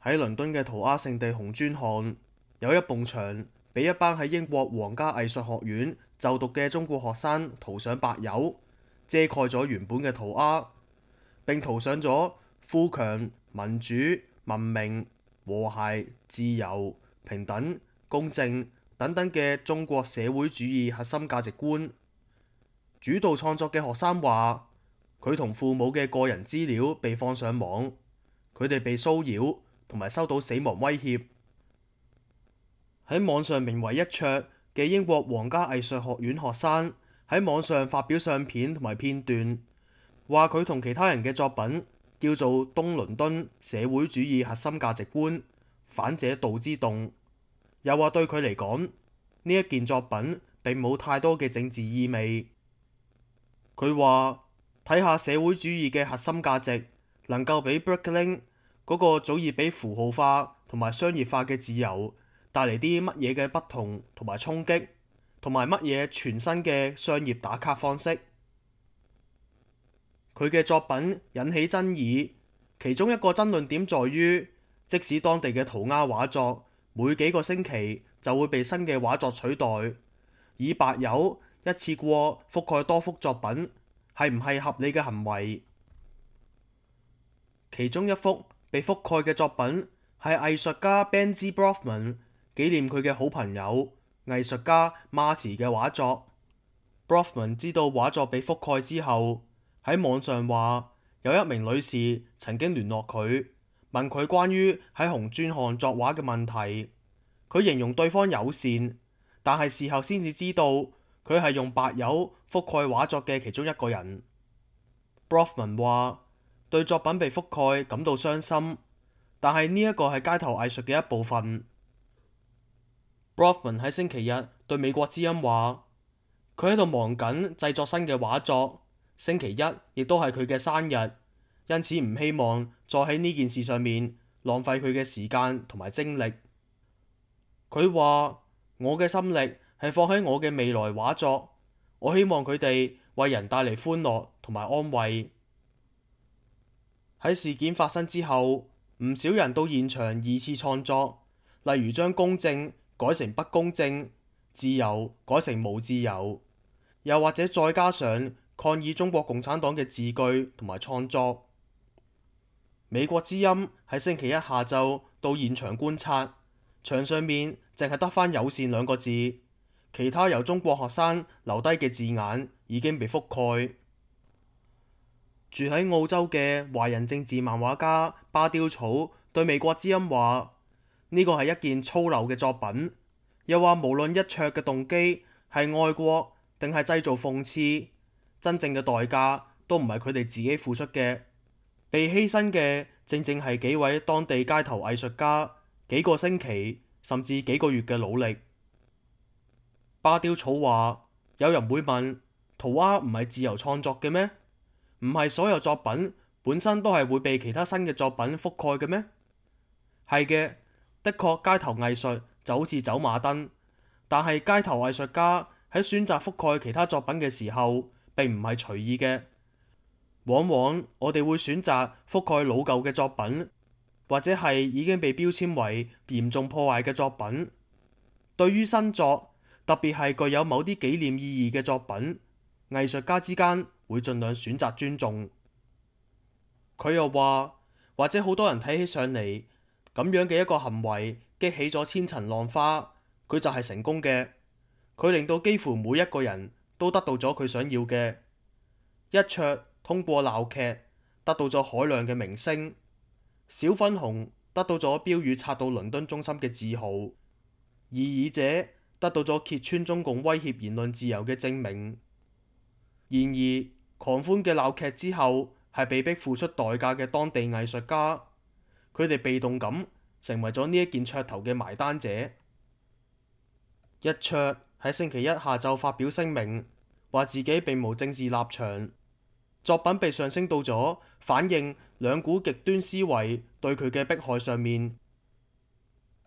喺倫敦嘅塗鴉聖地紅磚巷，有一埲牆俾一班喺英國皇家藝術學院就讀嘅中國學生塗上白油，遮蓋咗原本嘅塗鴉，並塗上咗富強、民主、文明、和諧、自由、平等、公正等等嘅中國社會主義核心價值觀。主導創作嘅學生話，佢同父母嘅個人資料被放上網，佢哋被騷擾同埋收到死亡威脅。喺網上名為一卓嘅英國皇家藝術學院學生喺網上發表相片同埋片段，話佢同其他人嘅作品叫做東倫敦社會主義核心價值觀，反者道之動。又話對佢嚟講，呢一件作品並冇太多嘅政治意味。佢話睇下社會主義嘅核心價值能夠俾 Brooklyn 嗰個早已俾符號化同埋商業化嘅自由帶嚟啲乜嘢嘅不同同埋衝擊，同埋乜嘢全新嘅商業打卡方式。佢嘅作品引起爭議，其中一個爭論點在於，即使當地嘅塗鴉畫作每幾個星期就會被新嘅畫作取代，以白油一次過覆蓋多幅作品，係唔係合理嘅行為？其中一幅被覆蓋嘅作品係藝術家 Benji Brofman 紀念佢嘅好朋友藝術家 Marty 嘅畫作。Brofman 知道畫作被覆蓋之後，喺網上話有一名女士曾經聯絡佢，問佢關於喺紅磚巷作畫嘅問題。佢形容對方友善，但係事後先至知道佢係用白油覆蓋畫作嘅其中一個人。Brofman 話對作品被覆蓋感到傷心，但係呢一個係街頭藝術嘅一部分。Brofman 喺星期日對美國之音話，佢喺度忙緊製作新嘅畫作，星期一亦都係佢嘅生日，因此唔希望再喺呢件事上面浪費佢嘅時間同埋精力。佢話我嘅心力係放喺我嘅未來畫作，我希望佢哋為人帶嚟歡樂同埋安慰。喺事件發生之後，唔少人到現場二次創作，例如將公正改成不公正，自由改成無自由，又或者再加上抗議中國共產黨嘅字句同埋創作。美國之音喺星期一下晝到現場觀察，牆上面淨係得返友善兩個字，其他由中國學生留低嘅字眼已經被覆蓋。住喺澳洲嘅華人政治漫畫家巴丟草對美國之音話：呢個係一件粗陋嘅作品，又話無論一卓嘅動機係愛國定係製造諷刺，真正嘅代價都唔係佢哋自己付出嘅，被犧牲嘅正正係幾位當地街頭藝術家幾個星期甚至幾個月嘅努力。巴丟草話：有人會問，塗鴉唔係自由創作嘅咩？唔係所有作品本身都係會被其他新嘅作品覆蓋嘅咩？係嘅，的確街頭藝術就好似走馬燈，但係街頭藝術家喺選擇覆蓋其他作品嘅時候並唔係隨意嘅。往往我哋會選擇覆蓋老舊嘅作品，或者係已經被標籤為嚴重破壞嘅作品。對於新作，特別係具有某啲紀念意義嘅作品，藝術家之間會盡量選擇尊重。佢又話，或者好多人睇起上嚟咁樣嘅一個行為激起咗千層浪花，佢就係成功嘅。佢令到幾乎每一個人都得到咗佢想要嘅。一卓通過鬧劇得到咗海量嘅明星，小粉紅得到咗標語插到倫敦中心嘅自豪，異議者得到咗揭穿中共威脅言論自由嘅證明。然而，狂歡嘅鬧劇之後係被逼付出代價嘅當地藝術家，佢哋被動咁成為咗呢一件噱頭嘅埋單者。一卓喺星期一下晝發表聲明，話自己並無政治立場，作品被上升到咗反映兩股極端思維對佢嘅迫害上面。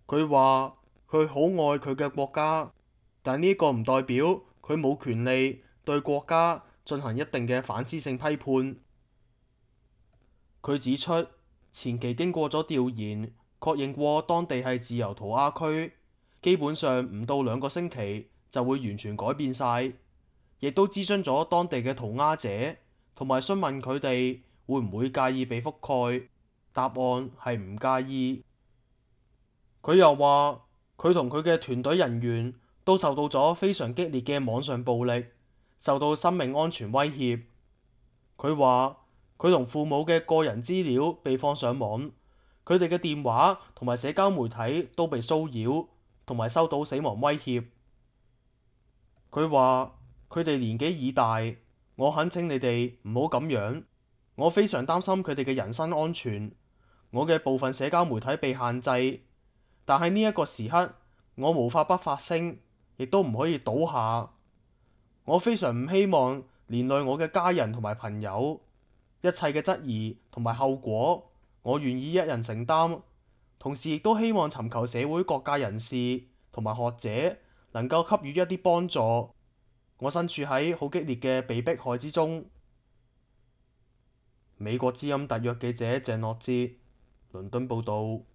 佢話佢好愛佢嘅國家，但呢個唔代表佢冇權利對國家進行一定嘅反思性批判。佢指出，前期經過咗調研，確認過當地係自由塗鴉區，基本上唔到2個星期就會完全改變晒。亦都諮詢咗當地嘅塗鴉者，同埋詢問佢哋會唔會介意被覆蓋，答案係唔介意。佢又話佢同佢嘅團隊人員都受到咗非常激烈嘅網上暴力，受到生命安全威脅。佢話佢同父母嘅個人資料被放上網，佢哋嘅電話同埋社交媒體都被騷擾，同埋收到死亡威脅。佢話佢哋年紀已大，我懇請你哋唔好咁樣，我非常擔心佢哋嘅人身安全。我嘅部分社交媒體被限制，但係呢一個時刻，我無法不發聲，亦都唔可以倒下。我非常唔希望連累我嘅家人同埋朋友，一切嘅質疑同埋後果，我願意一人承擔。同時亦都希望尋求社會各界人士同埋學者能夠給予一啲幫助。我身處喺好激烈嘅被迫害之中。美國之音特約記者鄭樂哲，倫敦報道。